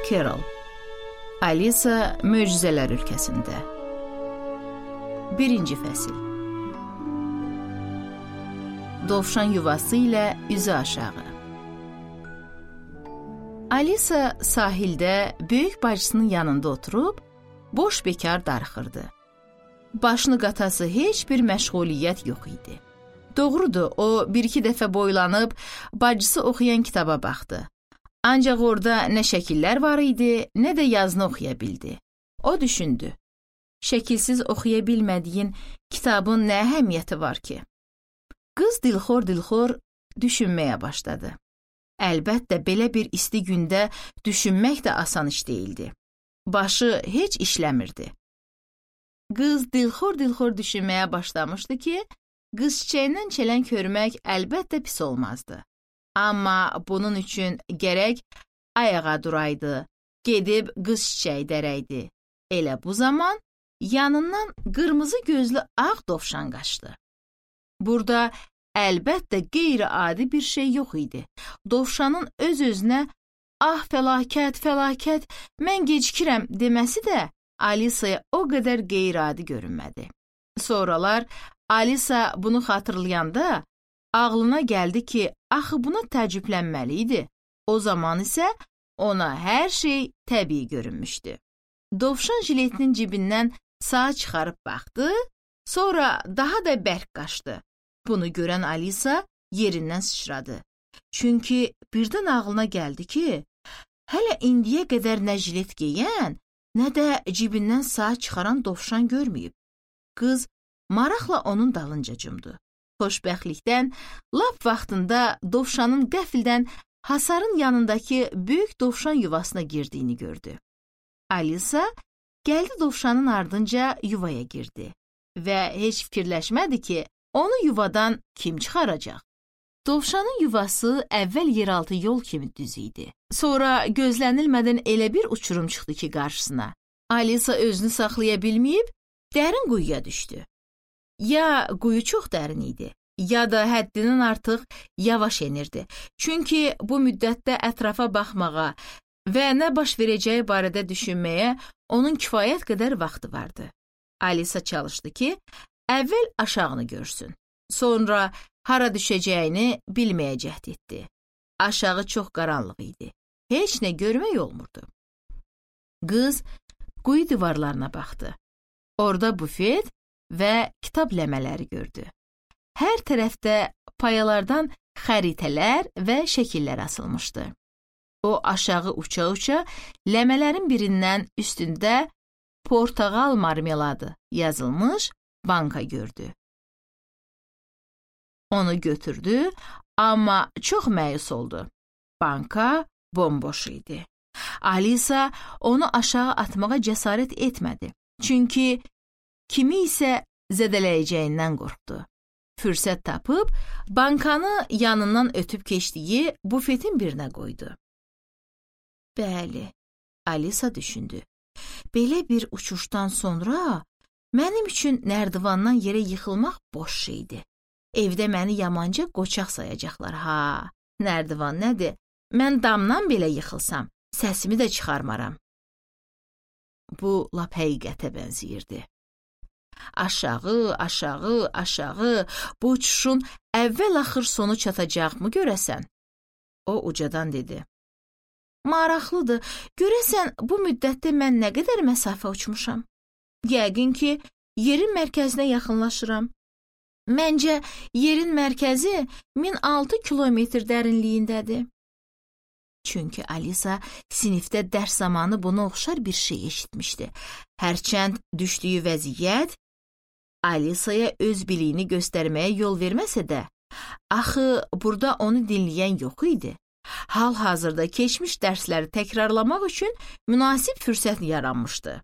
Carol. Alisa Möcüzələr Ölkəsində. 1-ci fəsil. Dovşan yuvası ilə üzü aşağı. Alisa sahildə böyük bacısının yanında oturub, boş bekar darıxırdı. Başını qatası heç bir məşğuliyyət yox idi. Doğrudur, o bir-iki dəfə boylanıb, bacısı oxuyan kitaba baxdı. Ancaq orada nə şəkillər var idi, nə də yazını oxuya bildi. O düşündü, şəkilsiz oxuya bilmədiyin kitabın nə əhəmiyyəti var ki? Qız dilxor düşünməyə başladı. Əlbəttə, belə bir isti gündə düşünmək də asan iş deyildi. Başı heç işləmirdi. Qız dilxor düşünməyə başlamışdı ki, qız çiçəyindən çələn körmək əlbəttə pis olmazdı. Amma bunun üçün gərək ayağa duraydı, gedib qız çiçəyi dərəydi. Elə bu zaman yanından qırmızı gözlü ağ dovşan qaçdı. Burada əlbəttə qeyri-adi bir şey yox idi. Dovşanın öz-özünə "Ah, fəlakət, mən gecikirəm" deməsi də Alisaya o qədər qeyri-adi görünmədi. Sonralar Alisa bunu xatırlayanda ağlına gəldi ki, axı buna təəccüblənməli idi. O zaman isə ona hər şey təbii görünmüşdü. Dovşan jiletinin cibindən saat çıxarıb baxdı, sonra daha da bərk qaçdı. Bunu görən Alisa yerindən sıçradı. Çünki birdən ağlına gəldi ki, hələ indiyə qədər nə jilet geyən, nə də cibindən saat çıxaran dovşan görməyib. Qız maraqla onun dalınca cumdu. Xoşbəxtlikdən lap vaxtında dovşanın qəfildən hasarın yanındakı böyük dovşan yuvasına girdiyini gördü. Alisa gəldi dovşanın ardınca yuvaya girdi və heç fikirləşmədi ki, onu yuvadan kim çıxaracaq. Dovşanın yuvası əvvəl yeraltı yol kimi düz idi. Sonra gözlənilmədən elə bir uçurum çıxdı ki qarşısına. Alisa özünü saxlaya bilməyib dərin quyuya düşdü. Ya quyu çox dərin idi, ya da həddindən artıq yavaş enirdi. Çünki bu müddətdə ətrafa baxmağa və nə baş verəcəyi barədə düşünməyə onun kifayət qədər vaxtı vardı. Alisa çalışdı ki, əvvəl aşağını görsün. Sonra hara düşəcəyini bilməyə cəhd etdi. Aşağı çox qaranlıq idi. Heç nə görmək olmurdu. Qız quyu divarlarına baxdı. Orada bufet və kitab ləmələri gördü. Hər tərəfdə payalardan xəritələr və şəkillər asılmışdı. O aşağı uça-uça ləmələrin birindən üstündə portağal marmeladı yazılmış banka gördü. Onu götürdü, amma çox məyus oldu. Banka bomboş idi. Alisa onu aşağı atmağa cəsarət etmədi. Çünki kimi isə zədələyəcəyindən qorxdu. Fürsət tapıb, bankanı yanından ötüb keçdiyi bufetin birinə qoydu. Bəli, Alisa düşündü. Belə bir uçuşdan sonra mənim üçün nərdivandan yerə yıxılmaq boş şeydir. Evdə məni yamanca qoçaq sayacaqlar, ha. Nərdivan nədir? Mən damdan belə yıxılsam, səsimi də çıxarmaram. Bu lap həqiqətə bənzəyirdi. Aşağı, bu uçuşun əvvəl-axır sonu çatacaqmı görəsən? O ucadan dedi. Maraqlıdır, görəsən bu müddətdə mən nə qədər məsafə uçmuşam? Yəqin ki, yerin mərkəzinə yaxınlaşıram. Məncə, yerin mərkəzi 1006 kilometr dərinliyindədir. Çünki Alisa sinifdə dərs zamanı buna oxşar bir şey eşitmişdi. Hərçənd düşdüyü vəziyyət Alisaya öz biliyini göstərməyə yol verməsə də, axı burada onu dinləyən yox idi. Hal-hazırda keçmiş dərsləri təkrarlamaq üçün münasib fürsət yaranmışdı.